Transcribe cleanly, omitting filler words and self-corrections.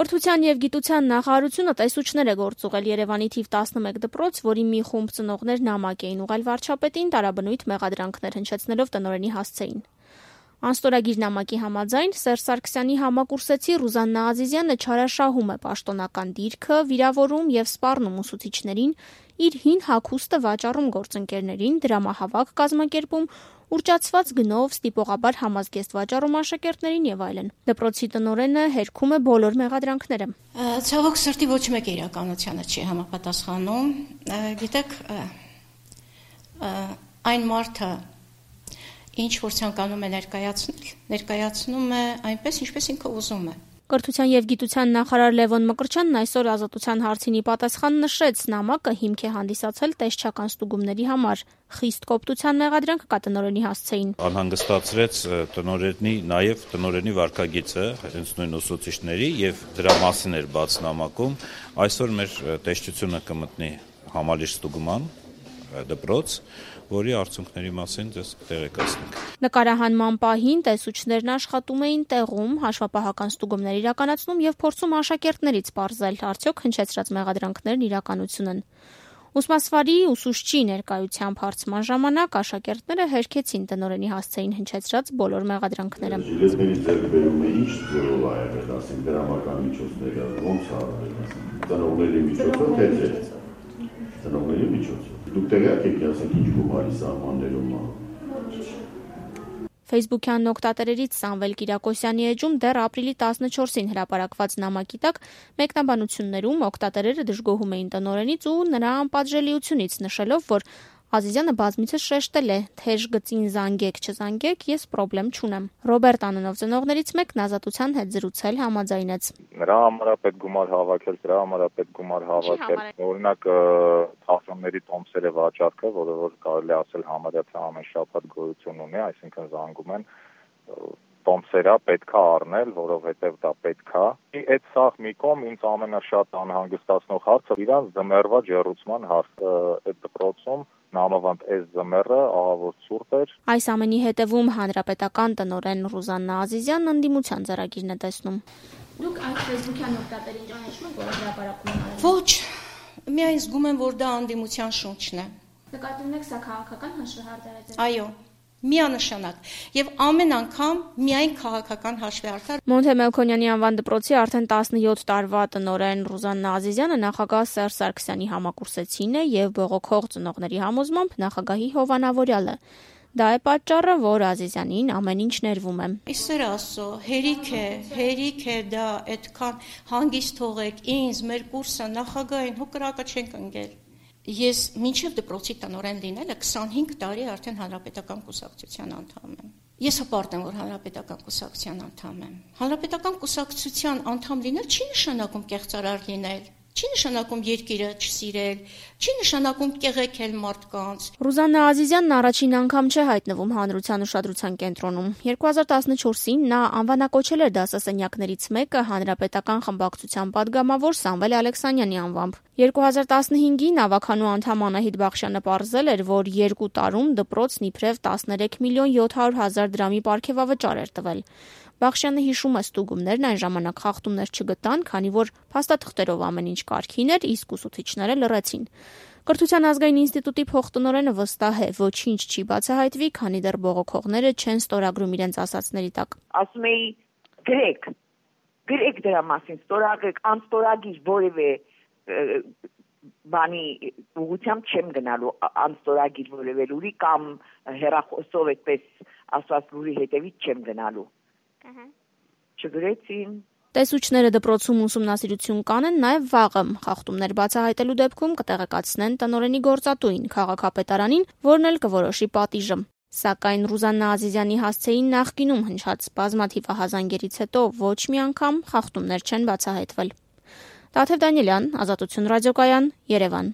Կրթության և գիտության նախարարությունը տեսուչներ է գործուղել Երևանի թիվ 11 դպրոց, որի մի խումբ ծնողներ նամակ էին ուղղել վարչապետին տարաբնույթ մեղադրանքներ հնչեցնելով տնօրենի հասցեին։ Անստորագիր նամակի համաձայն Սերժ Սարգսյանի համակուրսեցի Ռուզաննա Ազիզյանը չարաշահում է պաշտոնական դիրքը, վիրավորում և սպառնում ուսուցիչներին, իր հին հագուստը վաճառում գործընկերներին, դրամահավաք կազմակերպում, ուռճացված գնով ստիպողաբար համազգեստ վաճառում աշակերտներին եւ այլն։ Դպրոցի տնօրենը հերքում է բոլոր մեղադրանքները։ Ցավոք սրտի ոչ մեկը իրականությանը չի համապատասխանում։ Գիտեք, այն մարդը, ինչ որ ցանկանում է ներկայացնում է այնպես, ինչպես ինքը ուզում է։ Կրթության և գիտության նախարար Լևոն Մկրտչյանն այսօր Ազատության հարցինի պատասխան նշեց, նամակը հիմք է հանդիսացել տեսչական ստուգումների համար։ Խիստ կոպտության մեղադրանք կա տնօրենի հասցեին։ Անհանգստացրեց տնօրենի, նաև տնօրենի վարքագիծը, հենց նույն ուսուցիչների եւ դրա մասին էր բաց նամակում։ Այսօր մեր տեսչությունը կմտնի համալիր ստուգման դպրոց, որի արդյունքների մասին ձեզ կտեղեկացնենք։ Նկարահանման պահին տեսուչներն աշխատում էին տեղում, հաշվապահական ստուգումներ իրականացնում եւ փորձում աշակերտներից պարզել, արդյոք հնչեցրած մեղադրանքներն իրականություն են։ Ուսմասվարի ուսուցչի ներկայությամբ հարցման ժամանակ աշակերտները հերքեցին տնօրենի հասցեին հնչեցրած բոլոր մեղադրանքները։ Ժիլետների ձեռքբերումը ինչ ձևով ա եղել, ասենք դրամական միջոցները, ոնց ա արվել, ծնողների միջոցով, թե չէ։ Ծնողների միջոցով։ Դուք տեղյակ եք, ասենք ինչ գումարի սահմաններում ա։ Facebook-յան օգտատերերից Սամվել Կիրակոսյանի էջում դեռ ապրիլի 14-ին հրապարակված նամակի տակ մեկնաբանություններում օգտատերերը դժգոհում էին տնօրենից ու նրա անպատժելիությունից, նշելով, որ Ազիզյանը բազմիցս շեշտել է, թեժ գծին զանգեք, չզանգեք, ես պրոբլեմ չունեմ։ Ռոբերտ անունով ծնողներից մեկն Ազատության հետ զրուցել համաձայնեց։ Նրա համար է պետք գումար հավաքել, դրա համար է պետք գումար հավաքել։ Օրինակ թատրոնների տոմսերը վաճառքը, որը որ կարելի ասել համարյա թե ամեն շաբաթ գոյություն ունի, այսինքն զանգում են տոմսերա պետքա առնել, որովհետև դա պետքա։ Այդ սաղ մի կողմ ինձ ամենաշատ անհանգստացնող հարցը իրանց ձմեռվա ջեռուցման հարցը այդ դպրոցում նամավանդ այս ձմեռը ահա որ ցուրտ էր։ Այս ամենի հետևում հանրապետական տնօրեն Ռուզաննա Ազիզյանն ընդդիմության ծրագիրն է տեսնում։ Դուք այդ Facebook-յան օգտատերին ճանաչում եք, որ հրապարակում են։ Ոչ, միայն զգում եմ, որ դա ընդդիմության շունչն է։ Նկատում եք սա քաղաքական հաշվեհարդար է։ Այո, միանշանակ եւ ամեն անգամ միայն քաղաքական հաշվեհարդար։ Մոնթե Մելքոնյանի անվան դպրոցի արդեն 17 տարվա տնօրեն Ռուզաննա Ազիզյանը նախագահ Սերժ Սարգսյանի համակուրսեցին է եւ բողոքող ծնողների համոզմամբ նախագահի հովանավորյալը։ Դա է պատճառը, որ Ազիզյանին ամեն ինչ ներվում է։ Իսեր ասո, հերիք է դա, այդքան հանգիստ թողեք ինձ, մեր կուրսը նախագահին հո կրակը չենք ընկել։ Ես մինչև դպրոցի տնօրեն լինելը 25 տարի արդեն հանրապետական կուսակցության անդամ եմ։ Ես հպարտ եմ, որ հանրապետական կուսակցության անդամ եմ։ Հանրապետական կուսակցության անդամ լինել չի նշանակում կեղծարար լինել, չի նշանակում երկիրը չսիրել, չի նշանակում կեղեքել մարդկանց։ Ռուզաննա Ազիզյանն առաջին անգամ չէ հայտնվում հանրության ուշադրության կենտրոնում։ 2014-ին նա անվանակոչել էր դասասենյակներից մեկը հանրապետական խմբակցության падգամավոր Սամվել Ալեքսանյանի անվամբ։ 2015-ին ավականու անդամ Անահիտ Բախշյանը պարզել էր, որ 2 տարում դպրոցն իբրև 13 միլիոն 700 հազար դրամի պարգևավճար էր տվել։ Բախշյանը հիշում է ստուգումներն այն ժամանակ խախտումներ չգտան, քանի որ փաստաթղթերով ամեն ինչ կարգին էր, իսկ ուսուցիչները լռեցին։ Կրթության ազգային ինստիտուտի փոխտնօրենը վստահ է, ոչինչ չի բացահայտվի, քանի դեռ բողոքողները չեն ստորագրում իրենց ասացների տակ։ Ասում էի գրեք դրա մասին, ստորագրեք, անստորագիր որևէ բանի ուղղությամբ չեմ գնալու, անստորագիր որևէ լուրի կամ հեռախոսով այդպես ասված լուրի հետևից չեմ գնալու։ Չգրեցին։ Տեսուչները դպրոցում ուսումնասիրություն կանեն նաև վաղը խախտումներ բացահայտելու դեպքում կտեղեկացնեն տնօրենի գործատուին, քաղաքապետարանին, որն էլ կորոշի պատիժը։ Սակայն Ռուզաննա Ազիզյանի հասցեին նախկինում հնչած բազմաթիվ ահազանգերից հետո ոչ մի անգամ խախտումներ չեն բացահայտվել։ Տաթև Դանիելյան, Ազատություն ռադիոկայան, Երևան։